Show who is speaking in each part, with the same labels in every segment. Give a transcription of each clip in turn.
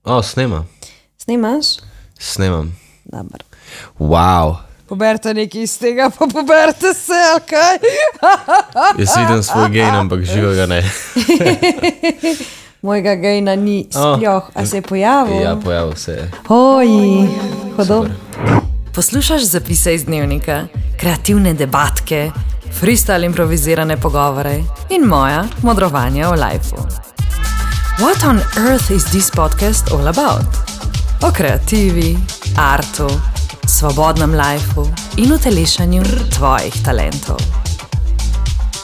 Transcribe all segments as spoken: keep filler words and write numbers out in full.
Speaker 1: O, snema.
Speaker 2: Snemaš?
Speaker 1: Snemam.
Speaker 2: Dobar.
Speaker 1: Wow.
Speaker 2: Poberte nekaj iz tega, pa poberte se, ali kaj?
Speaker 1: Jaz vidim svoj gain, ampak živega ne.
Speaker 2: Mojega gaina ni spljoh, a se je pojavil?
Speaker 1: Ja, pojavil se je.
Speaker 2: Oj, hodom.
Speaker 3: Poslušaš zapise iz dnevnika, kreativne debatke, freestyle improvizirane pogovore in moja modrovanja o lifeu. What on earth is this podcast all about? O kreativi, artu, svobodnem lifeu in utelešanju tvojih talentov.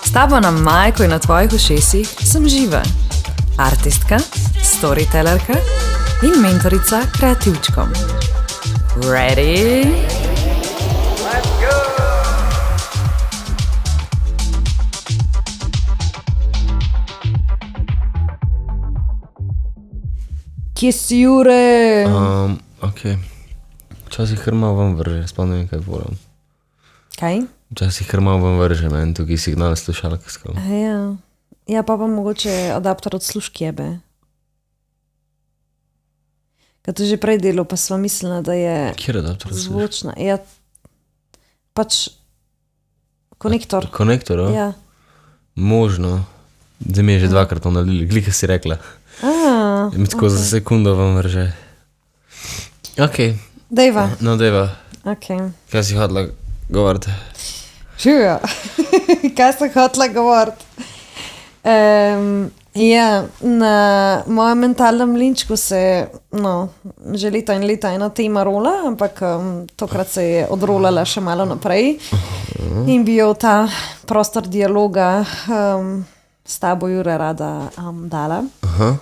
Speaker 3: S tabo na majku in na tvojih ušesih sem Živa, artistka, storytellerka in mentorica kreativčkom. Ready? Let's go!
Speaker 2: Kje si, Jure?
Speaker 1: Um, ok. Včasih kar malo vam vrže, sploh ne vem, kaj volim.
Speaker 2: Kaj?
Speaker 1: Včasih kar malo vam vrže, meni tukaj signal slušalkarskov.
Speaker 2: Ja. Ja, pa pa mogoče adapter od sluškjebe. Kad to že prej delo, pa sva mislila, da je
Speaker 1: Kjer adapter od slušalkarskov?
Speaker 2: zvočna. Ja, pač konektor.
Speaker 1: Konektor, o?
Speaker 2: Ja.
Speaker 1: Možno. Zdaj mi je že dvakrat to nalili, glika si rekla.
Speaker 2: A,
Speaker 1: Mi tako za sekundo vam vrže. Ok,
Speaker 2: dejva.
Speaker 1: no deva,
Speaker 2: Ok.
Speaker 1: kaj si hodila govoriti?
Speaker 2: Živijo. Kaj sem hotela govoriti? Um, ja, na mojem mentalnem linčku se no, že leta in leta ena tema rola, ampak um, tokrat se je odrolala še malo naprej in bi jo ta prostor dialoga um, s tabo, Jure, rada um, dala.
Speaker 1: Aha.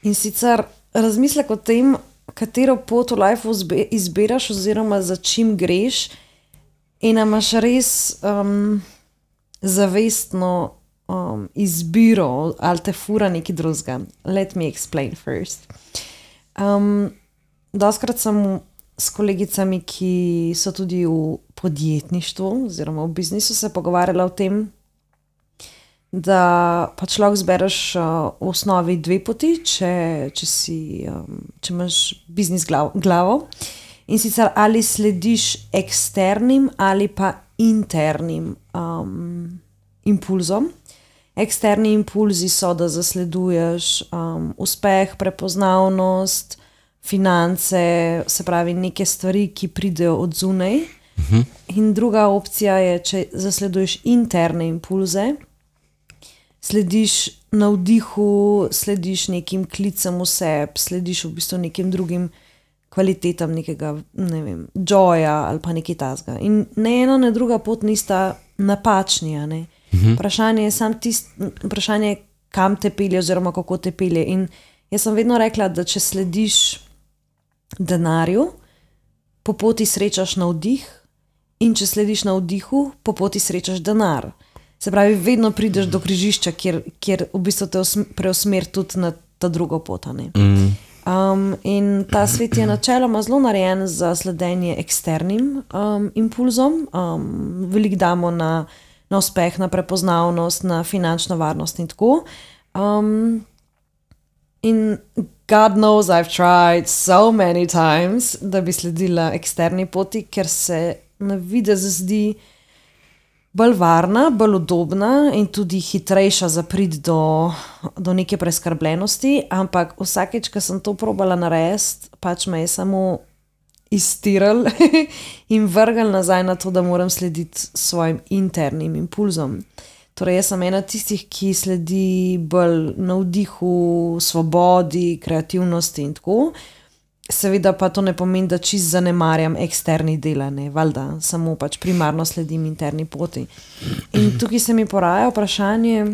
Speaker 2: In sicer razmislek o tem, katero pot v lifeu izbiraš oziroma za čim greš in imaš res um, zavestno um, izbiro ali te fura nekaj drugega. Let me explain first. Um, doskrat sem s kolegicami, ki so tudi v podjetništvu oziroma v biznisu, se pogovarjala o tem, da pa človek zbereš uh, v osnovi dve poti, če, če, si, um, če imaš biznis glav, glavo. In sicer ali slediš eksternim ali pa internim um, impulzom. Eksterni impulzi so, da zasleduješ um, uspeh, prepoznavnost, finance, se pravi neke stvari, ki pridejo od zunaj.
Speaker 1: Uh-huh.
Speaker 2: In druga opcija je, če zasleduješ interne impulze, slediš navdihu, slediš nekim klicem v sebi, slediš v bistvu nekim drugim kvalitetam nekega, ne vem, joya ali pa nekaj tazga. In ne ena, ne druga pot nista napačni, a ne.
Speaker 1: Mhm.
Speaker 2: Vprašanje je sam tist, vprašanje, kam te pelje oziroma kako te pelje. In jaz sem vedno rekla, da če slediš denarju, po poti srečaš navdih, in če slediš navdihu, po poti srečaš denar. Se pravi, vedno prideš do križišča, kjer, kjer v bistvu te preusmer tudi na ta drugo pot, a ne.
Speaker 1: Mm.
Speaker 2: Um, in ta svet je načeloma zelo narejen za sledenje eksternim um, impulzom. Um, veliko damo na, na uspeh, na prepoznavnost, na finančno varnost in tako. Um, in God knows I've tried so many times, da bi sledila eksterni poti, ker se na videz zdi bolj varna, bolj udobna in tudi hitrejša za priti do, do neke preskrbljenosti, ampak vsakeč, ko sem to probala narediti, pač me je samo iztiral in vrgal nazaj na to, da moram slediti svojim internim impulzom. Torej, jaz sem ena tistih, ki sledi bolj navdihu, svobodi, kreativnosti in tako. Seveda pa to ne pomeni, da čist zanemarjam eksterni dela, ne, valjda, samo pač primarno sledim interni poti. In tukaj se mi poraja vprašanje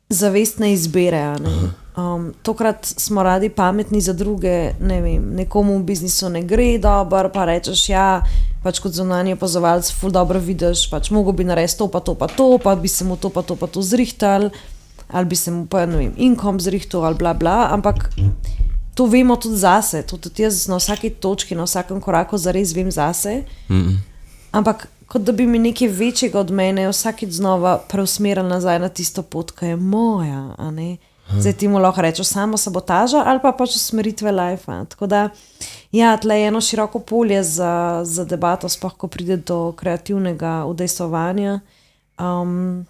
Speaker 2: zavestne izbere, ne. Um, tokrat smo radi pametni za druge, ne vem, nekomu v biznisu ne gre dobro, pa rečeš, ja, pač kot zunanji opazovalec ful dobro vidiš, pač mogo bi narediti to pa to pa to, pa bi se mu to pa to pa to zrihtal, ali bi se mu pa, ne vem, inkom zrihtal ali bla bla, ampak to vemo tudi zase, to tudi jaz na vsaki točki, na vsakem koraku zares vem zase, mm-mm. Ampak kot da bi mi nekaj večjega od mene vsakič znova preusmeril nazaj na tisto pot, ki je moja, a ne. Zdaj ti mu lahko rečeš samo sabotaža ali pa pač usmeritve life. Tako da, ja, tle je eno široko polje za, za debato, sploh ko pride do kreativnega udejstvovanja. Um,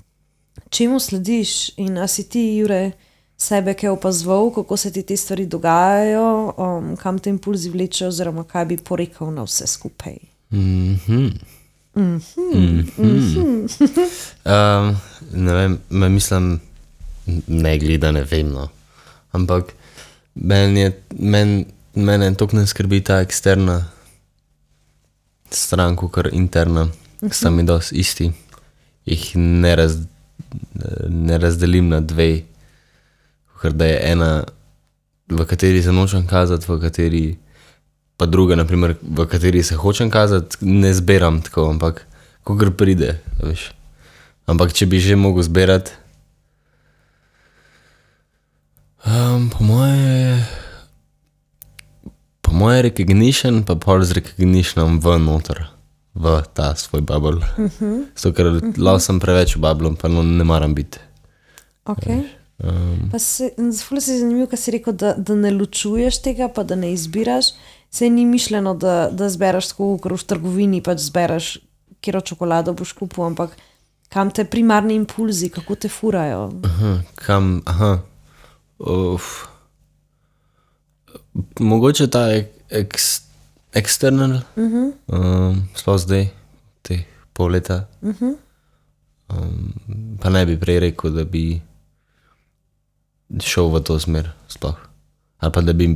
Speaker 2: čemu slediš in a si ti, Jure, sebe kaj opazoval, kako se ti te stvari dogajajo, um, kam te impulzi vlečejo oziroma kaj bi porekel na vse skupaj?
Speaker 1: Mhm.
Speaker 2: Mhm.
Speaker 1: Mhm. um, ne vem, me mislim, ne gleda, ne vem, no. Ampak meni je, men, mene toliko ne skrbi ta eksterna stran, kakor interna, uh-huh. sta mi dosti isti. Jih ne, raz, ne razdelim na dve, ker da je ena, v kateri se nočem kazati, v kateri pa druga, naprimer, v kateri se hočem kazati, ne zberam tako, ampak kakor pride, veš. Ampak če bi že mogel zberati, um, po moje po moje recognition, pa pol z recognitionom v noter, v ta svoj bubble. Uh-huh. Zato, ker uh-huh. lahko sem preveč v bubble, pa no, ne maram biti.
Speaker 2: Ok. Um, pa se, ful si zanimiv, kaj si rekel, da, da ne ločuješ tega, pa da ne izbiraš. Se ni mišljeno, da, da zberaš tako, ker v trgovini pač zberaš, kjero čokolado boš kupil, ampak kam te primarni impulzi, kako te furajo?
Speaker 1: Aha, kam, aha. Uf. Mogoče ta eks, external, uh-huh. um, sploh zdaj, teh pol leta, uh-huh. um, pa ne bi prej rekel, da bi šel v to smer sploh. Ali pa da bi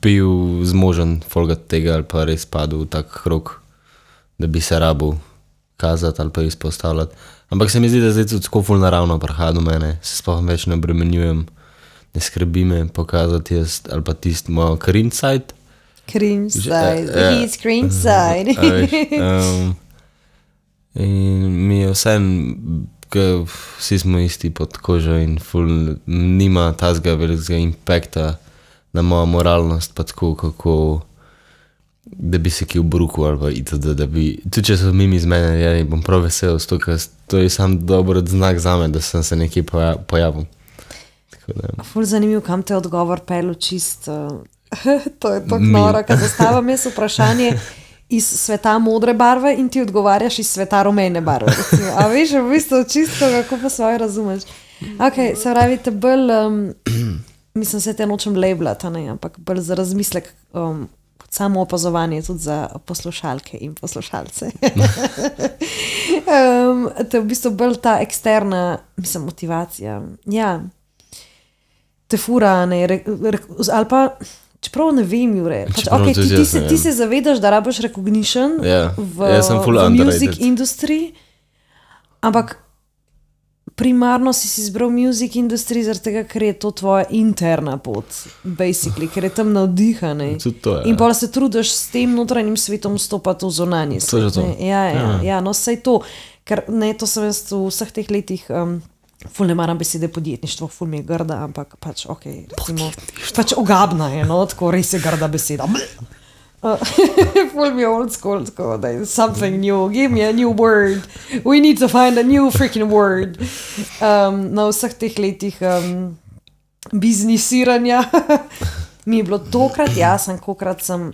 Speaker 1: bil zmožen folgati tega, ali pa res padel v tak krog, da bi se rabil kazati ali pa izpostavljati. Ampak se mi zdi, da zdaj tudi tako ful naravno prihaja do mene, se sploh več ne obremenjujem, ne skrbi me pokazati jaz, ali pa tisti moj cringe side.
Speaker 2: Cringe side, uh, he's cringe side.
Speaker 1: um, in mi je vse, ker vsi smo isti pod kožo in ful nima tazga velikega impakta na mojo moralnost, pa tako, kako da bi se ki obruku ali pa itd. Da bi, tudi če so mimi z mene, ja, bom prav vesel, sto, to je sam dober znak za me, da sem se nekje poja, pojavil.
Speaker 2: Ful zanimiv, kam te odgovor pelu čist. Uh, to je tako noro, kad zastavam jaz vprašanje iz sveta modre barve in ti odgovarjaš iz sveta rumene barve. Recimo. A veš, v bistvu čisto, kako pa svoje razumeš. Ok, se pravi, te bolj, um, mislim, se te nočem labelati, ne, ampak bolj za razmislek, um, samo opazovanje tudi za poslušalke in poslušalce. um, te v bistvu bolj ta eksterna, mislim, motivacija. Ja. Te fura, ne, re, re, ali pa, čeprav ne vem, Jure, pač, okay, ti, ti, se, ti se zavedaš, da rabiš recognition
Speaker 1: yeah.
Speaker 2: v,
Speaker 1: yeah,
Speaker 2: v music industry, ampak primarno si si izbral music industry zaradi tega, ker je to tvoja interna pot, basically, ker je tam navdihane. In pa se trudiš s tem notranjim svetom stopati v zunanji svet.
Speaker 1: To.
Speaker 2: Ja, ja, ja. ja, no sej to, ker ne, to sem jaz v vseh teh letih... Um, ful ne maram besede podjetništvo, ful mi je grda, ampak pač, ok, recimo, pač ogabna je, no, tako res je grda beseda. Uh, ful mi je old school, tako da je something new, give me a new word, we need to find a new freaking word. Um, na vseh teh letih um, biznisiranja mi je bilo tokrat jasen, kokrat sem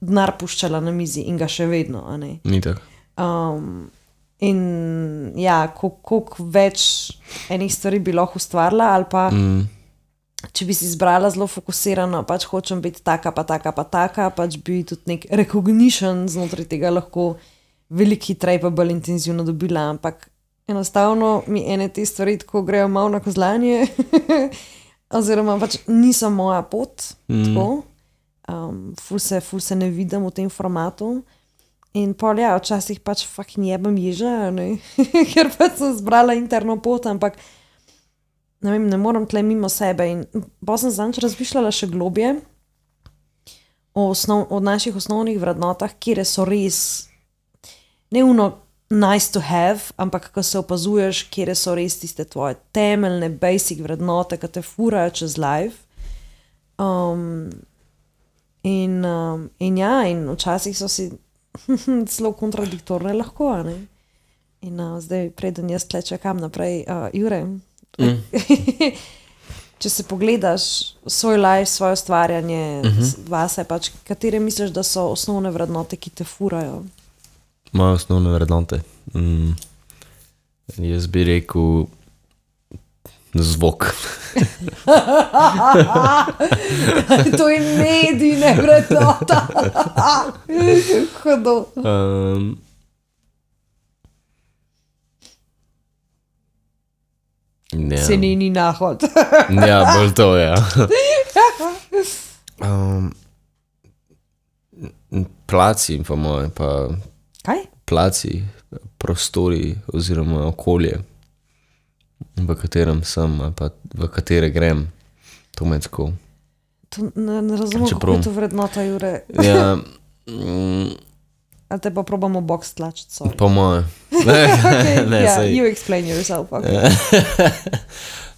Speaker 2: denar puščala na mizi in ga še vedno, a ne.
Speaker 1: Ni tako.
Speaker 2: Um, in ja, koliko več enih stvari bi lahko ustvarila, ali pa mm. če bi si izbrala zelo fokusirano, pač hočem biti taka, pa taka, pa taka, pač bi tudi nek recognition znotraj tega lahko veliko hitreje pa bolj intenzivno dobila, ampak enostavno mi ene te stvari tako grejo malo na kozlanje, oziroma pač niso moja pot, mm. tako, um, ful se, ful se ne vidim v tem formatu. In pol, ja, včasih pač fucking jebam ježa, ne, ker pač sem zbrala interno pot, ampak ne vem, ne moram tle mimo sebe. In pa sem zanč razmišljala še globje o, osnov, o naših osnovnih vrednotah, kjer so res ne uno nice to have, ampak ko se opazuješ, kjer so res tiste tvoje temeljne, basic vrednote, ki te furajo čez life. Um, in, um, in ja, in včasih so si zelo kontradiktorne lahko, ne? In uh, zdaj preden jaz tle čakam naprej, uh, Jure,
Speaker 1: Mm.
Speaker 2: Če se pogledaš svoj life, svoje ustvarjanje, uh -huh. vase, pač, katere misliš, da so osnovne vrednote, ki te furajo?
Speaker 1: Moje osnovne vrednote? Mm. Jaz bi rekel zvok.
Speaker 2: To je medij, ne vrednota. Hudo.
Speaker 1: Um, ja.
Speaker 2: Se ni ni nahod.
Speaker 1: Ja, bolj to, ja. Um, placi, po moje, pa
Speaker 2: Kaj?
Speaker 1: placi, prostori oziroma okolje, v katerem sem, ali pa v katere grem, to me tako.
Speaker 2: To ne, ne razumem,
Speaker 1: Čeprav-
Speaker 2: kako je to vrednota, Jure.
Speaker 1: Ja, mm,
Speaker 2: A te pa probamo box tlačiti, sorry.
Speaker 1: po moje. Ne,
Speaker 2: Okay,
Speaker 1: ne,
Speaker 2: yeah,
Speaker 1: saj.
Speaker 2: you explain yourself. Okay.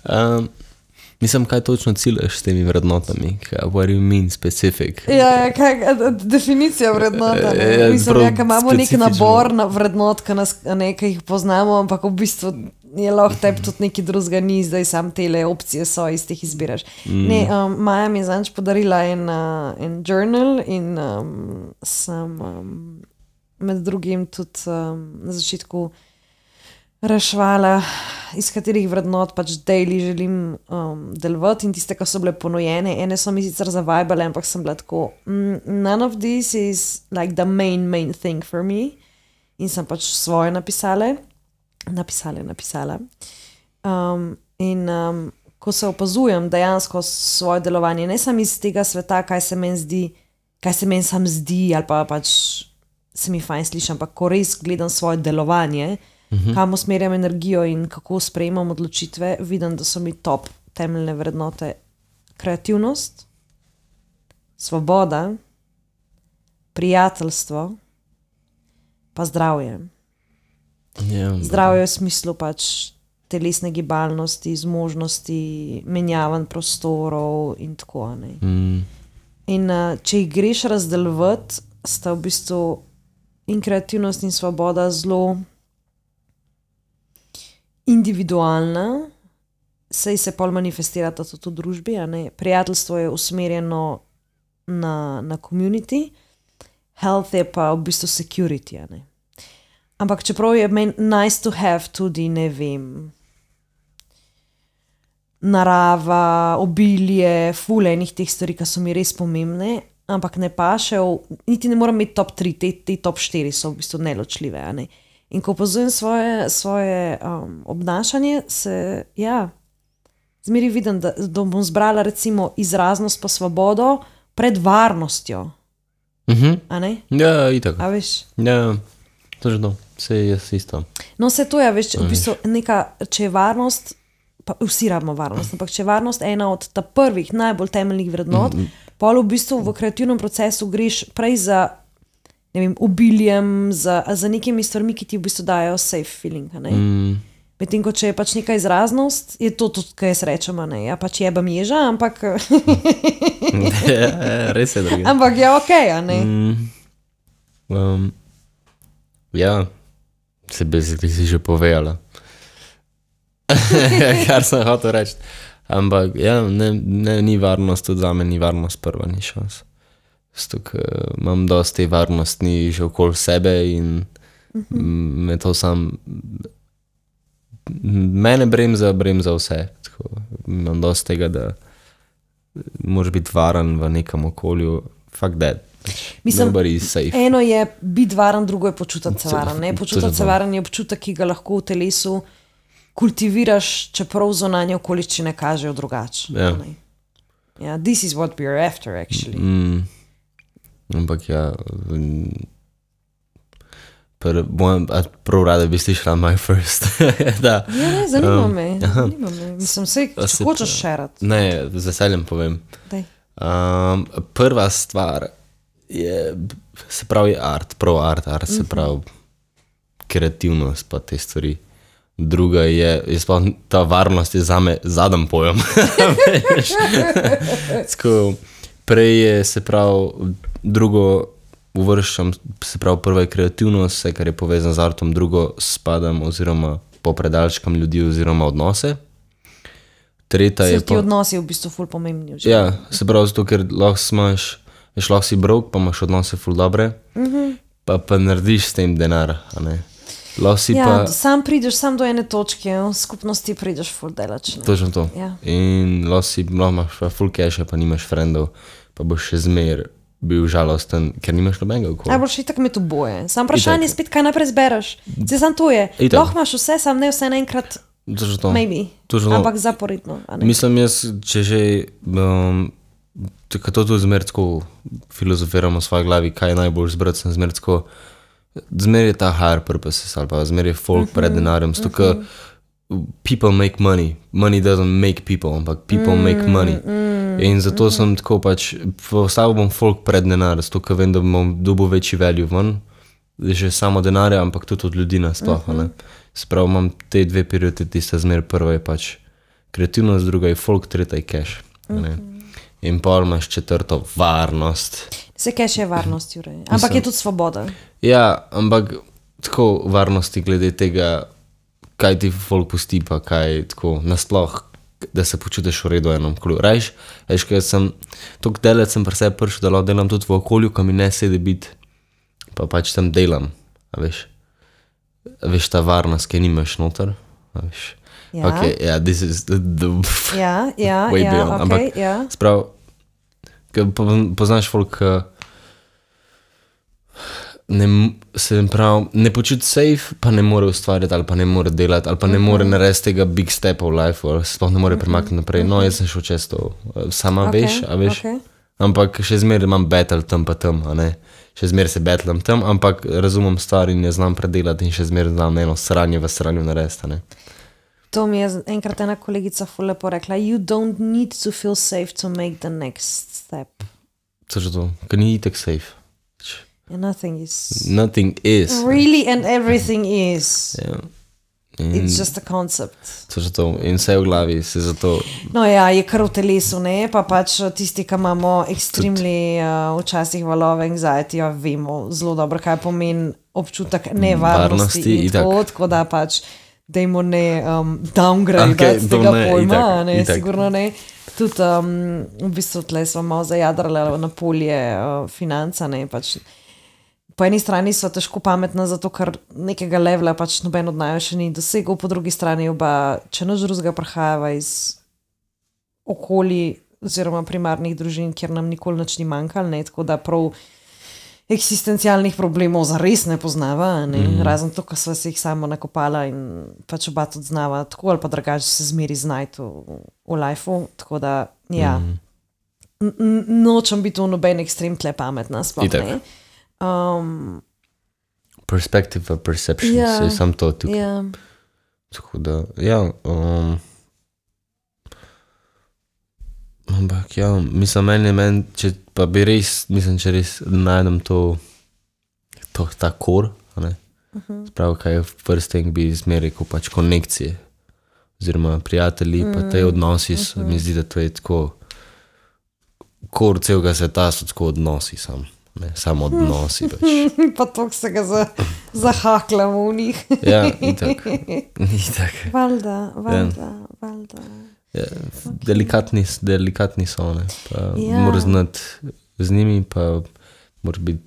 Speaker 1: um, mislim, kaj točno ciljaš s temi vrednotami? Kaj, what do you mean specific?
Speaker 2: Ja, ja, kaj, a- a- definicija vrednota. Ne?
Speaker 1: Ja,
Speaker 2: Mislim,
Speaker 1: prav
Speaker 2: ja, kaj imamo nek
Speaker 1: specifično.
Speaker 2: nabor na vrednot, ki nas a ne, ki jih poznamo, ampak v bistvu je lahko tebi tudi nekaj drugega ni, zdaj sam tele opcije so, iz teh izbiraš. Mm. Ne, um, Maja mi je zanč podarila en, uh, en journal in um, sem um, med drugim tudi um, na začetku rešvala, iz katerih vrednot pač daily želim um, delovati in tiste, ki so bile ponujene. Ene so mi sicer zavajbale, ampak sem bila tako, mm, none of this is like the main, main thing for me. In sem pač svoje napisale, napisale, napisala. Um, in um, ko se opazujem dejansko svoje delovanje, ne samo iz tega sveta, kaj se meni zdi, kaj se meni sam zdi, ali pa pač se mi fajn sliši, ampak ko res gledam svoje delovanje, Uh-huh. kam usmerjam energijo in kako sprejemam odločitve, vidim, da so mi top temeljne vrednote kreativnost, svoboda, prijateljstvo, pa zdravje.
Speaker 1: Ja,
Speaker 2: Zdravje v smislu pač telesne gibalnosti, zmožnosti, menjavanj prostorov in tako. Ne?
Speaker 1: mm,
Speaker 2: In uh, če jih greš razdeljevati, sta v bistvu in kreativnost in svoboda zelo individualna, saj se pol manifestirata tudi v družbi, a ne. Prijateljstvo je usmerjeno na, na community, health je pa v bistvu security, a ne. Ampak čeprav je meni nice to have tudi, ne vem, narava, obilje, ful enih teh stvari, ki so mi res pomembne, ampak ne paše, v, niti ne moram imeti top tri, te, te top štiri so v bistvu neločljive, a ne. In ko opazujem svoje, svoje um, obnašanje, se, ja, zmeri vidim, da, da bom zbrala recimo izraznost pa svobodo pred varnostjo,
Speaker 1: uh-huh.
Speaker 2: a ne?
Speaker 1: Ja, itak.
Speaker 2: A veš?
Speaker 1: Ja, to je to. Vse je isto.
Speaker 2: No, vse to je, veš, v bistvu neka, če je varnost, pa vsi rabimo varnost, ampak če je varnost ena od ta prvih, najbolj temeljnih vrednot, mm -hmm. pol v bistvu v kreativnem procesu greš prej za, ne vem, obiljem, za, za nekimi stvarmi, ki ti v bistvu dajo safe feeling, a ne?
Speaker 1: Mm.
Speaker 2: Medtem ko če je pač neka izraznost, je to tudi, kaj jaz rečem, a ne? Ja, pač jebam ježa, ampak
Speaker 1: Ja, res je drugi.
Speaker 2: ampak je okej, a ne?
Speaker 1: Mm. Um, ja, se basically si že povedala. Kar sem hotel reči. Ampak ja, ne, ne, ni varnost, tudi za me ni varnost prva, ni šans. Zato, ker imam dosti te varnostni že okoli sebe in uh-huh. me to sam, mene bremza, bremza vse. Tako, imam dosti tega, da moraš biti varen v nekem okolju. Fuck that.
Speaker 2: Mislim,
Speaker 1: nobody is safe.
Speaker 2: eno je biti varen, drugo je počutiti se
Speaker 1: To-
Speaker 2: varen. Ne?
Speaker 1: to je
Speaker 2: Počutiti se
Speaker 1: to.
Speaker 2: varen je občutek, ki ga lahko v telesu kultiviraš, čeprav zunanje okoliščine kažejo drugače.
Speaker 1: Ja.
Speaker 2: a ne. Ja, this is what we are after, actually.
Speaker 1: Mm, ampak ja, mm, pr, mojem, a prav rada bi slišala my first. da,
Speaker 2: Ja, ne, zanima
Speaker 1: Um,
Speaker 2: me. Zanima me. Mislim, vse,
Speaker 1: A
Speaker 2: če
Speaker 1: se
Speaker 2: hočeš
Speaker 1: pa-
Speaker 2: šerat.
Speaker 1: ne, z veseljem povem.
Speaker 2: Daj.
Speaker 1: Um, prva stvar je, se pravi art, prav art, art se pravi kreativnost pa te stvari. Druga je, jaz pa ta varnost je zame zadnji pojem. Veš? Tako, prej je, se pravi, drugo uvrščam, se pravi, prva je kreativnost, vse, kar je povezano z artom, drugo spadam oziroma popredalčkam ljudi oziroma odnose. tretja je
Speaker 2: Se ti
Speaker 1: pa...
Speaker 2: odnosi v bistvu ful pomembni. v
Speaker 1: Ja,
Speaker 2: življenju.
Speaker 1: se pravi zato, ker lahko smaš, veš, lahko si brok, pa imaš odnose ful dobre, pa pa narediš s tem denar, a ne. Lahko si
Speaker 2: Ja,
Speaker 1: pa...
Speaker 2: sam prideš sam do ene točke, v skupnosti prideš ful delač. ne.
Speaker 1: Točno to.
Speaker 2: Ja.
Speaker 1: In lahko si, lahko imaš pa full cache, pa nimaš frendov, pa boš še zmer bil žalosten, ker nimaš nobenega okoli.
Speaker 2: Najboljši itak med oboje. Sam vprašanje je
Speaker 1: Itak.
Speaker 2: spet, kaj naprej zbereš. Zdaj sam to je.
Speaker 1: Itak.
Speaker 2: Lahko imaš vse, sam ne vse naenkrat,
Speaker 1: Točno to.
Speaker 2: maybe,
Speaker 1: Točno to.
Speaker 2: ampak zaporedno. a ne.
Speaker 1: Mislim jaz, če že, um, tako to tudi zmer tako filozofiramo v svoji glavi, kaj je najbolj zbrati, sem zmer tako, zmer je ta higher purposes, ali pa zmer je folk uh -huh, pred denarjem, zato uh -huh. people make money, money doesn't make people, ampak people mm, make money. Mm, in zato mm. sem tako pač, postavil bom folk pred denar, zato ker vem, da bom dobil večji value ven, že samo denarja, ampak tudi od ljudi nasploh, mm -hmm. ne. Sprav imam te dve prioriteti, sta zmer, prva je pač kreativnost, druga je folk, tretja je cash, ne. Mm -hmm. In pol imaš četrto, varnost.
Speaker 2: Se cache je varnost, Jure. Ampak Mislim, je tudi svoboda.
Speaker 1: Ja, ampak tako varnosti glede tega, kaj ti folk pusti, pa kaj tako nasploh, da se počutiš v redu enom okolju. Rajš, veš, ker sem, toliko delec sem pri sebi prišel, da lahko delam tudi v okolju, ko mi ne sedi biti, pa pač tam delam, a veš. A veš, ta varnost, ki nimaš noter, a veš.
Speaker 2: Ja.
Speaker 1: Ok, ja, yeah, this is the, the
Speaker 2: Ja, ja,
Speaker 1: way
Speaker 2: ja,
Speaker 1: beyond.
Speaker 2: ok,
Speaker 1: Ampak,
Speaker 2: ja.
Speaker 1: sprav, ker po- poznaš folk, ki ne, m- se prav, ne počuti safe, pa ne more ustvarjati, ali pa ne more delati, ali pa ne more narediti tega big stepa v life, ali sploh ne more premakniti naprej. No, jaz sem šel čez to, sama
Speaker 2: Ok,
Speaker 1: veš, a veš.
Speaker 2: ok.
Speaker 1: Ampak še zmeraj imam battle tam pa tam, a ne. Še zmeraj se battlam tam, ampak razumem stvari in je znam predelati in še zmeraj znam eno sranje v sranju narediti, a ne.
Speaker 2: To mi je enkrat ena kolegica ful lepo rekla. You don't need to feel safe to make the next step.
Speaker 1: To je to, ker ni itak safe.
Speaker 2: And nothing is.
Speaker 1: Nothing is.
Speaker 2: Really and everything is.
Speaker 1: Ja. In
Speaker 2: It's just a concept.
Speaker 1: to je to, in vse v glavi se zato,
Speaker 2: No ja, je kar v telesu, ne, pa pač tisti, ki imamo ekstremni uh, včasih valove anxiety, ja, vemo zelo dobro, kaj pomeni občutek nevarnosti
Speaker 1: Varnosti,
Speaker 2: in
Speaker 1: itak.
Speaker 2: tako, tako da pač dajmo ne um, downgrade
Speaker 1: Okej,
Speaker 2: okay,
Speaker 1: to
Speaker 2: tega
Speaker 1: ne,
Speaker 2: pojma,
Speaker 1: itak,
Speaker 2: ne,
Speaker 1: itak.
Speaker 2: sigurno ne. Tudi um, v bistvu tle smo malo zajadrali na polje uh, financa, ne, pač po eni strani so težko pametna, zato ker nekega levela pač noben od naju še ni dosegel, po drugi strani oba, če nič drugega prihajava iz okolij oziroma primarnih družin, kjer nam nikoli nič ni manjkalo, ne, tako da prav eksistencialnih problemov zares ne poznava, ne, mm. razen to, ko sva se jih samo nakopala in pač oba tudi znava, tako ali pa drugače se zmeri znajti v, v lifeu, tako da, ja, mm. N -n nočem biti v noben ekstrem tle pametna, sploh
Speaker 1: Itak.
Speaker 2: ne. Um,
Speaker 1: perspective of perception,
Speaker 2: Ja,
Speaker 1: se je sam to tukaj.
Speaker 2: ja.
Speaker 1: Tako da, ja, um, ampak ja, mislim, meni je meni, če pa bi res, mislim, če res najdem to, to ta kor, a ne, uh -huh. Sprav, kaj je first thing, bi zmeraj rekel pač konekcije, oziroma prijatelji, mm. pa te odnosi, uh -huh. mi zdi, da to je tako, kor celega sveta so tako odnosi sam, ne, samo odnosi pač.
Speaker 2: Pa toliko se ga za, zahaklamo v njih.
Speaker 1: Ja, itak, itak.
Speaker 2: Valjda, valjda, valjda.
Speaker 1: Ja, delikatni, delikatni so, ne, pa
Speaker 2: Ja.
Speaker 1: moraš znati z njimi, pa moraš biti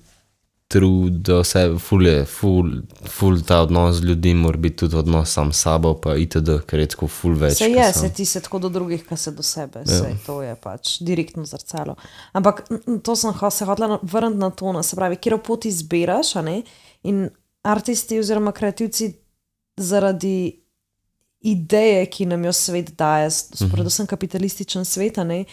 Speaker 1: true do sebe, ful je, ful, ful ta odnos z ljudmi mora biti tudi odnos sam s sabo, pa itd., ker je tako ful več.
Speaker 2: Se
Speaker 1: ke
Speaker 2: je,
Speaker 1: sam.
Speaker 2: se ti se tako do drugih, kaj se do sebe, se to je pač direktno zrcalo. Ampak n- n- to sem ho- se hotela vrniti na to, no, se pravi, kjer pot izbiraš, a ne, in artisti oziroma kreativci zaradi ideje, ki nam jo svet daje, s- predvsem kapitalističen svet, a ne,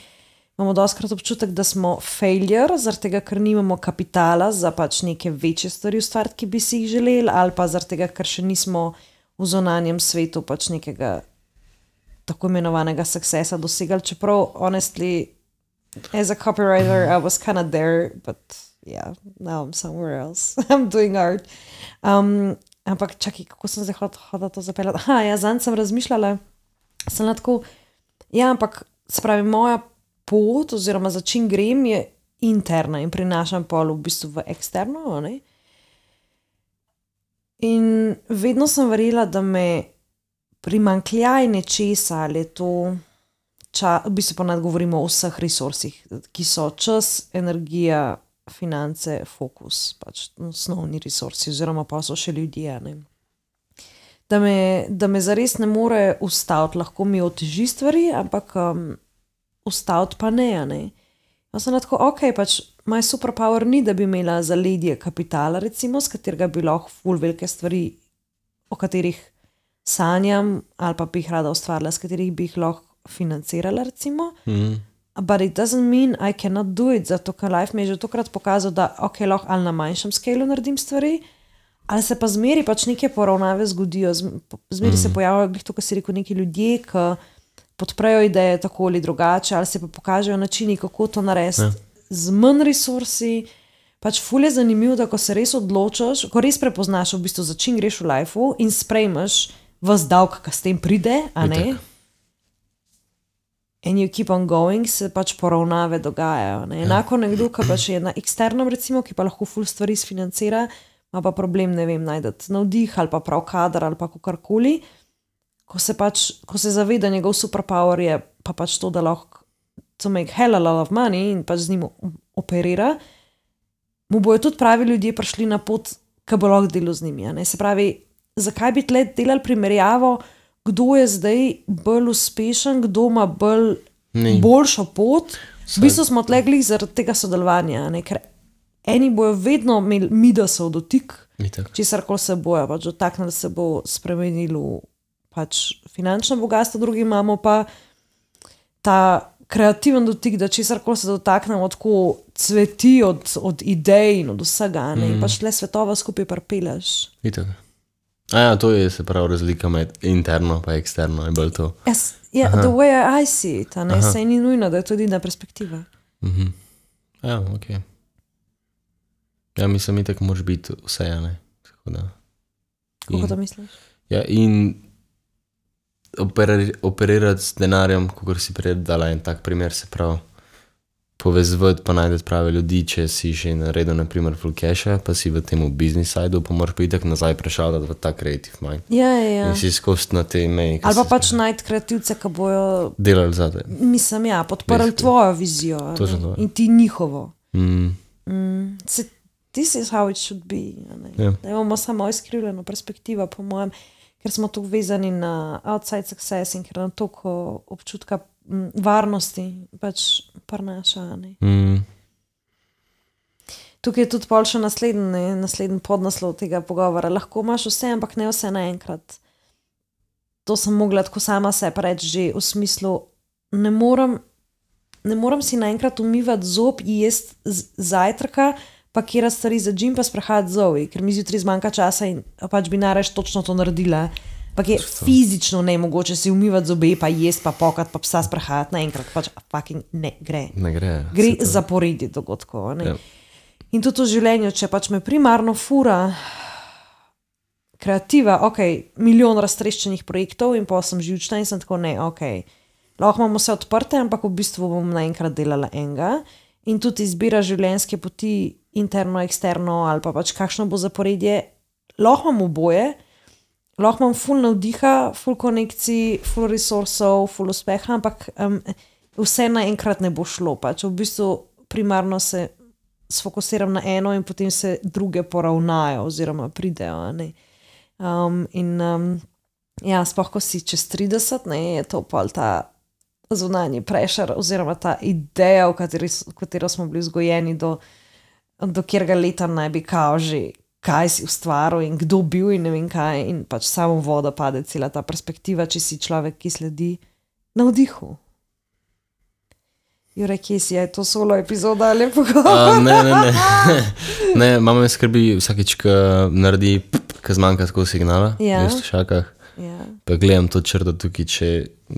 Speaker 2: imamo dostkrat občutek, da smo failure, zaradi tega, ker nimamo kapitala za pač neke večje stvari ustvariti, ki bi si jih želeli, ali pa zaradi tega, ker še nismo v zunanjem svetu pač nekega tako imenovanega succesa dosegali, čeprav honestly, as a copywriter, I was kind of there, but yeah, now I'm somewhere else. I'm doing art. Um, ampak čakaj, kako sem zdaj hodila to zapeljati? Aha, ja, zanj sem razmišljala, sem lahko, ja, ampak se pravi, moja pot oziroma za čim grem je interna in prinašam pol v bistvu v eksterno, ne? In vedno sem verjela, da me primanjkljaj nečesa, ali je to ča, v bistvu pa ne govorimo o vseh resursih, ki so čas, energija, finance, fokus, pač osnovni resursi, oziroma pa so še ljudje. Ne? Da, me, da me zares ne more ustaviti, lahko mi oteži stvari, ampak um, ustaviti pa ne. ne? Jaz sem tako, ok, pač moj superpower ni, da bi imela zaledje kapitala, recimo, s katerega bi lahko ful velike stvari, o katerih sanjam, ali pa bi jih rada ustvarila, s katerih bi jih lahko financirala, recimo. Mm. But it doesn't mean I cannot do it, zato ker life mi je že tokrat pokazal, da ok, lahko ali na manjšem skalu naredim stvari, ali se pa zmeri pač neke poravnave zgodijo, zmeri mm. se pojavljajo, to, kar si rekel, neki ljudje, ki podprejo ideje tako ali drugače, ali se pa pokažejo načini, kako to narediti ja. z manj resursi. Pač ful je zanimivo, da ko se res odločaš, ko res prepoznaš v bistvu, za čim greš v lifeu in sprejmeš vas davk, ki s tem pride, a ne? And you keep on going, se pač poravnave dogajajo. Ne? Enako ja. nekdo, ki pač je na eksternem, recimo, ki pa lahko ful stvari sfinancira, ima pa problem, ne vem, najdeti navdih ali pa prav kadar ali pa kakorkoli. Ko se pač, ko se zaveda njegov superpower je pa pač to, da lahko to make hell a lot of money in pač z njim operira, mu bojo tudi pravi ljudje prišli na pot, ki bo lahko delal z njimi. Ne? Se pravi, zakaj bi tle delali primerjavo, kdo je zdaj bolj uspešen, kdo ima bolj Ni. boljšo pot. V bistvu smo tle glih zaradi tega sodelovanja, ne? Ker eni bojo vedno imeli midasov dotik, česarkoli se bojo, pač dotaknili se bo spremenilo pač finančno bogatstvo, drugi imamo pa ta kreativen dotik, da česarkoli se dotaknemo, tako cveti od, od idej in od vsega, ne? In pač le svetova skupaj pripeljaš.
Speaker 1: Itak. A ja, to je se pravi razlika med interno pa eksterno, je bolj to.
Speaker 2: Yes, yeah, the way I see it, a ne, saj ni nujno, da je tudi na perspektiva.
Speaker 1: Mhm. Ja, ok. Ja, mislim, itak moraš biti vse, ne? Tako da.
Speaker 2: Kako to misliš?
Speaker 1: Ja, in operir, operirati s denarjem, kakor si prej dala en tak primer, se pravi, povezvati pa najdeti prave ljudi, če si že naredil, na primer, full cash-a, pa si v temu business side-u, pa moraš pa itak nazaj prešaldati v ta creative mind.
Speaker 2: Ja, ja, ja.
Speaker 1: In si skost na te meji.
Speaker 2: Ali pa pač najti kreativce, ki bojo
Speaker 1: delali za te.
Speaker 2: Mislim, ja, podprli tvojo vizijo. In ti njihovo.
Speaker 1: Mm.
Speaker 2: Mm. Se, this is how it should be.
Speaker 1: Ja.
Speaker 2: Da imamo samo izkrivljeno perspektivo, po mojem, ker smo tukaj vezani na outside success in ker nam toliko občutka m, varnosti pač prinaša.
Speaker 1: Mm.
Speaker 2: Tukaj je tudi pol še naslednji, naslednji podnaslov tega pogovora. Lahko imaš vse, ampak ne vse naenkrat. To sem mogla tako sama sebi reči že v smislu, ne morem, ne morem si naenkrat umivati zob in jesti zajtrka, pakirati stvari za džim, pa sprehajati zovi, ker mi zjutraj zmanjka časa in pač bi nareš točno to naredila. Pak je fizično nemogoče si umivati zobe, pa jesti, pa pokati, pa psa sprehajati naenkrat. Pač fucking ne gre.
Speaker 1: Ne gre.
Speaker 2: Gre zaporedje dogodkov. Ne? Ja. In tudi v življenju, če pač me primarno fura kreativa, ok, milijon raztreščenih projektov in pa sem živčna in sem tako, ne, ok, lahko imamo vse odprte, ampak v bistvu bom naenkrat delala enega. In tudi izbira življenjske poti, interno, eksterno, ali pa pač kakšno bo zaporedje, lahko imam oboje, lahko imam ful navdiha, ful konekcij, ful resursov, ful uspeha, ampak um, vse naenkrat ne bo šlo. Pač v bistvu primarno se sfokusiram na eno in potem se druge poravnajo oziroma pridejo. Ne? Um, in um, ja, sploh ko si čez trideset, ne, je to pol ta zunanji prešer oziroma ta ideja, v kateri, v katero smo bili vzgojeni do, do kjerga leta naj bi kao že kaj si ustvaril in kdo bil in ne vem kaj in pač samo voda pade cela ta perspektiva, če si človek, ki sledi navdihu. Jure, kje si, je to solo epizoda ali pogovor?
Speaker 1: Ne, ne, ne. Ne, mama me skrbi vsakeč, ko naredi, ko zmanjka tako signala
Speaker 2: ja.
Speaker 1: v slušalkah.
Speaker 2: Ja.
Speaker 1: Pa gledam to črto tukaj, če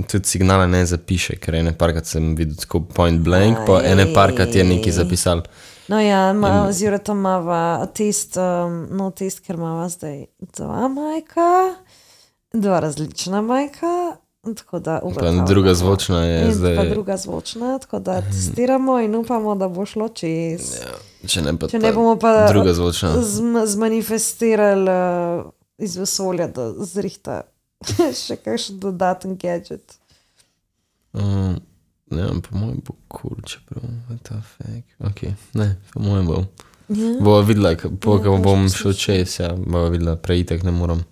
Speaker 1: tudi signala ne zapiše, ker ene parkrat sem videl tako point blank, pa ene parkrat je nekaj zapisal.
Speaker 2: No ja, ma, in... z Juretom imava test, um, no test, ker imava zdaj dva majka, dva različna majka, tako da upamo.
Speaker 1: Pa druga zvočna je
Speaker 2: in
Speaker 1: zdaj.
Speaker 2: Pa druga zvočna, tako da testiramo in upamo, da bo šlo čez.
Speaker 1: Ja, če ne, pa
Speaker 2: če ne bomo pa
Speaker 1: druga zvočna.
Speaker 2: Z, zmanifestirali uh, iz vesolja, da zrihta še kakšen dodaten gadget.
Speaker 1: Um, Ne, po mojem bo cool, čeprav je ta fake. Ok, ne, po mojem bo.
Speaker 2: Ja.
Speaker 1: Bova videla, po
Speaker 2: Ja,
Speaker 1: ko
Speaker 2: to
Speaker 1: bom
Speaker 2: še
Speaker 1: šel čez, ja, bova videla, preitek ne moram.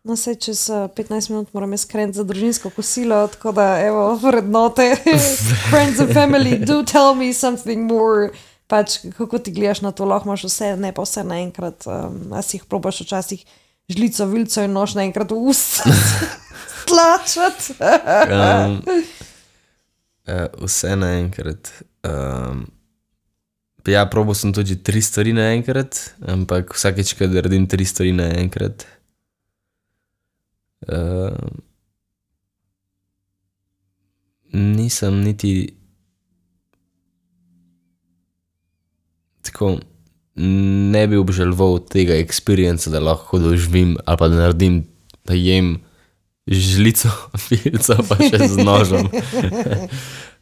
Speaker 2: No, sej čez uh, petnajst minut moram jaz kreniti za družinsko kosilo, tako da, evo, vrednote, friends and family, do tell me something more. Pač, kako ti gledaš na to, lahko imaš vse, ne pa vse naenkrat, um, a si jih probaš včasih žlico, vilco in nož naenkrat v ust tlačati.
Speaker 1: um, uh, vse naenkrat. Um, ja, probal sem tudi tri stvari naenkrat, ampak vsakeč, kad naredim tri stvari naenkrat, uh, nisem niti tako, ne bi obžaloval tega experience, da lahko doživim ali pa da naredim, da jem žlico, filco pa še z nožem.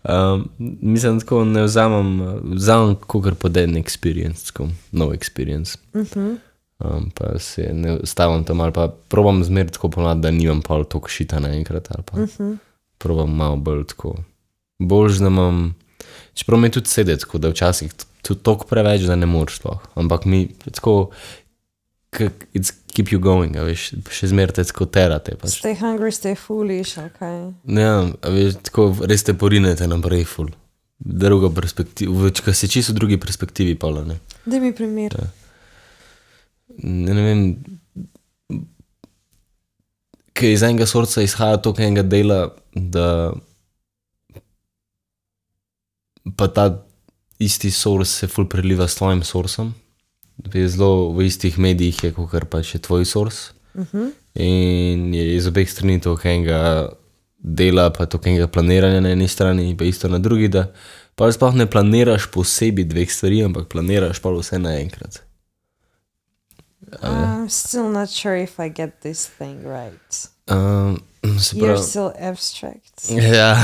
Speaker 1: um, mislim, tako ne vzamem, vzamem kakor poden experience, tako nov experience.
Speaker 2: Uh-huh.
Speaker 1: Um, pa se ne stavim tam ali pa probam zmer tako ponad, da nimam pol toliko šita naenkrat ali pa
Speaker 2: Uh-huh.
Speaker 1: probam malo bolj tako. Boljš, da imam, čeprav mi tudi sedi tako, da včasih tudi toliko preveč, da ne moreš sploh. Ampak mi tako, it's keep you going, a veš, še zmer te tako terate. Pač.
Speaker 2: Stay hungry, stay foolish, ok.
Speaker 1: Ja, a veš, tako res te porinete naprej ful. Druga perspektiva, ko se čisto v drugi perspektivi pola, ne.
Speaker 2: Daj mi primer.
Speaker 1: Ja. Ne, ne vem, kaj iz enega sorca izhaja toliko enega dela, da pa ta isti source se ful preliva s tvojim sourcem. Zelo v istih medijih je, kakor pa še tvoj source.
Speaker 2: Uh-huh.
Speaker 1: In je iz obeh strani toliko enega dela, pa toliko enega planiranja na eni strani, pa isto na drugi, da pa sploh ne planiraš posebej dveh stvari, ampak planiraš pa vse naenkrat.
Speaker 2: I'm still not sure if I get this thing right.
Speaker 1: Um, se
Speaker 2: You're
Speaker 1: pravi,
Speaker 2: still abstract.
Speaker 1: ja,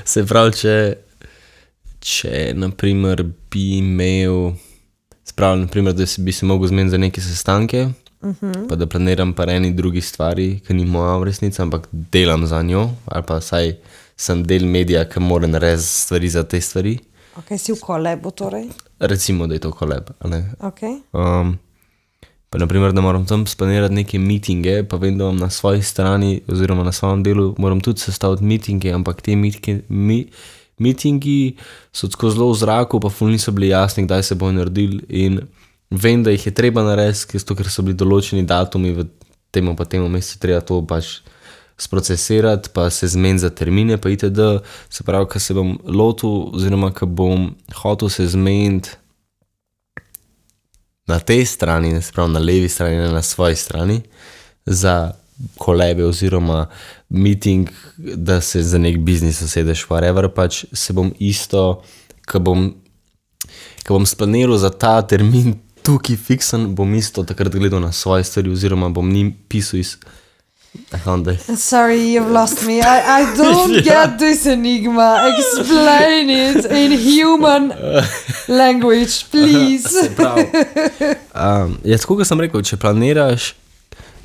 Speaker 1: se pravi, če če naprimer bi imel, spravljam naprimer, da si bi se mogel zmeniti za neke sestanke, uh-huh. pa da planiram pa eni drugi stvari, ki ni moja v resnici, ampak delam za njo, ali pa saj sem del medija, ki mora narediti stvari za te stvari.
Speaker 2: Ok, si v kolebu torej?
Speaker 1: Recimo, da je to koleb, a ne?
Speaker 2: Ok.
Speaker 1: Um, pa naprimer, da moram tam splanirati neke meetinge, pa vem, da imam na svoji strani, oziroma na svojem delu, moram tudi sestaviti meetinge, ampak te meetinge, mi, meetingi so tako zelo v zraku, pa ful niso bili jasni, kdaj se bo naredili in vem, da jih je treba narediti, ker so bili določeni datumi v temu pa temu mesecu, treba to pač sprocesirati, pa se zmeniti za termine, pa itd. Se pravi, ko se bom lotil, oziroma ko bom hotel se zmeniti na tej strani, ne se pravi na levi strani, ne na svoji strani, za kolebe oziroma meeting, da se za nek biznis usedeš, whatever, pač se bom isto, ko bom, ko bom splaniral za ta termin tukaj fiksen, bom isto takrat gledal na svoje stvari oziroma bom njim pisal iz
Speaker 2: Sorry, you've lost me. I, I don't get this enigma. Explain it in human language, please.
Speaker 1: um, ja, tako, kot sem rekel, če planiraš,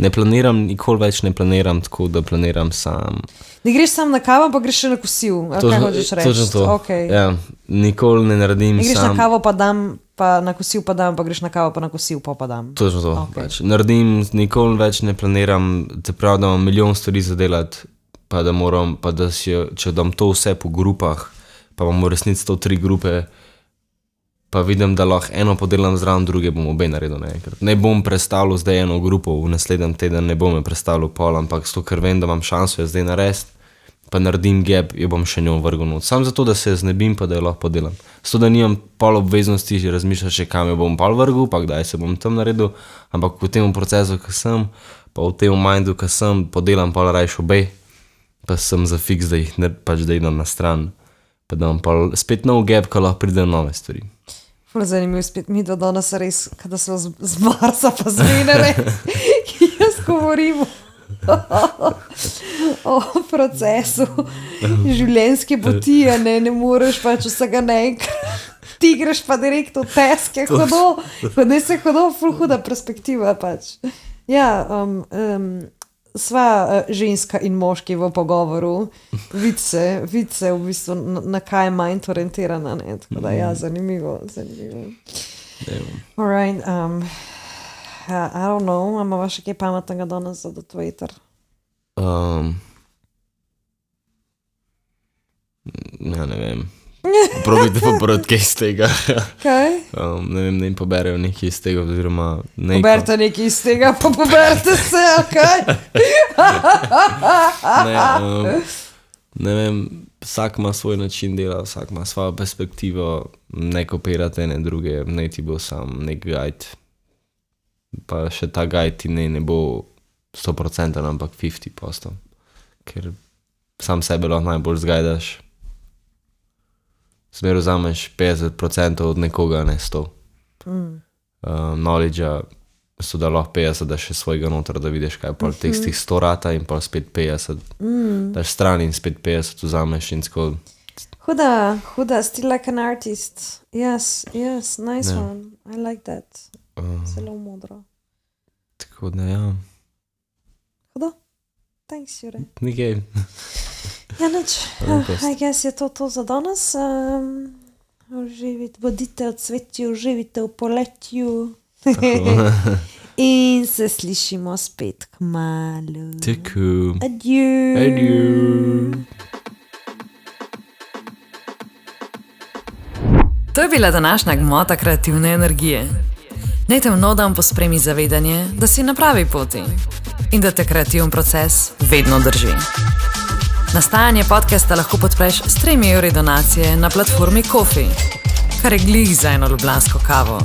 Speaker 1: ne planiram, nikoli več ne planiram tako, da planiram sam.
Speaker 2: Ne greš sam na kavo, pa greš še na kosil. Kaj hočeš reči?
Speaker 1: Točno to.
Speaker 2: Okay.
Speaker 1: Ja, nikoli ne naredim
Speaker 2: ne greš
Speaker 1: sam.
Speaker 2: Na kavo pa dam, pa na kosil pa dam, pa greš na kavo pa na kosil pa pa dam.
Speaker 1: Točno to.
Speaker 2: Okay.
Speaker 1: Pač. Naredim, nikoli več ne planiram, te prav, da imam milijon stvari za delati, pa da moram, pa da si, če dam to vse po grupah, pa imam v resnici to tri grupe, pa vidim, da lahko eno podelam zraven, druge bom obe naredil naenkrat. Ne bom predstavljal zdaj eno grupo, v naslednjem teden ne bom me predstavljal pol, ampak zato, ker vem, da imam šanso jo zdaj narediti, pa naredim gap, jo bom še njo vrgel not. Sam zato, da se znebim, pa da jo lahko podelam. Zato, da nimam pol obveznosti, že razmišljati še kam jo bom pol vrgel, pa kdaj se bom tam naredil, ampak v tem procesu, ko sem, pa v tem mindu, ko sem, podelam pol rajš obe, pa sem za fiks, da jih ne, pač da idem na stran, pa da imam pol spet nov gap, ko lahko pride nove stvari.
Speaker 2: Ful zanimivo, spet mi do danes res, kada so z, z Marsa pa z Venere, ki jaz govorim o procesu življenjske poti, a ne, ne moreš pač vsega naenkrat, ti greš pa direkt v teske, hodo, hodne se hodo, ful huda perspektiva pač. Ja, um, um, sva uh, ženska in moški v pogovoru, vidi se, vid se v bistvu na, na kaj je manj orientirana, ne, tako da ja, zanimivo, zanimivo. Alright, um, I don't know, imamo še kaj pametnega danes za do Twitter?
Speaker 1: Um, ja, ne vem. Probajte pobrati kaj iz tega.
Speaker 2: Kaj?
Speaker 1: Um, ne vem, ne jim poberejo nekaj iz tega, oziroma neko.
Speaker 2: Poberite nekaj iz tega, pa poberite se, okej?
Speaker 1: Ne, um, ne vem, vsak ima svoj način dela, vsak ima svojo perspektivo, ne kopirate ene druge, ne ti bo sam nek guide. Pa še ta guide ti ne, ne bo sto procentov, ampak petdeset posto. Ker sam sebe lahko najbolj zgajdaš. Smer vzameš petdeset procentov od nekoga, ne sto. Mm. Uh, knowledge-a so da lahko petdeset, da še svojega noter, da vidiš, kaj pa mm-hmm. tekstih sto rata in pa spet petdeset. Mm. Daš stran in spet petdeset vzameš in tako.
Speaker 2: Huda, huda, still like an artist. Yes, yes, nice yeah. one. I like that. Uh, Zelo modro.
Speaker 1: Tako da, ja.
Speaker 2: Huda? Thanks, Jure.
Speaker 1: Nikaj.
Speaker 2: Ja, nič. Uh, I guess je to to za danes. Um, uživite, bodite v cvetju, uživite v poletju. In se slišimo spet kmalu.
Speaker 1: Tako.
Speaker 2: Adieu.
Speaker 1: Adieu.
Speaker 3: To je bila današnja gmota kreativne energije. Naj te v nov dan pospremi zavedanje, da si na pravi poti in da te kreativen proces vedno drži. Nastajanje podcasta lahko podpreš s tremi evri donacije na platformi Ko-fi, kar je glih za eno ljubljansko kavo.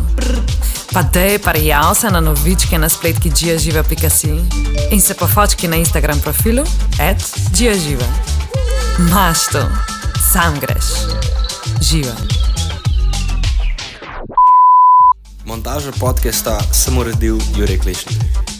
Speaker 3: Pa dej parjav se na novičke na spletki giaživa pika si in se pofočki na Instagram profilu at giaživa. Maš to, sam greš. Živa.
Speaker 4: Montažo podcasta sem uredil Jure Klešnik.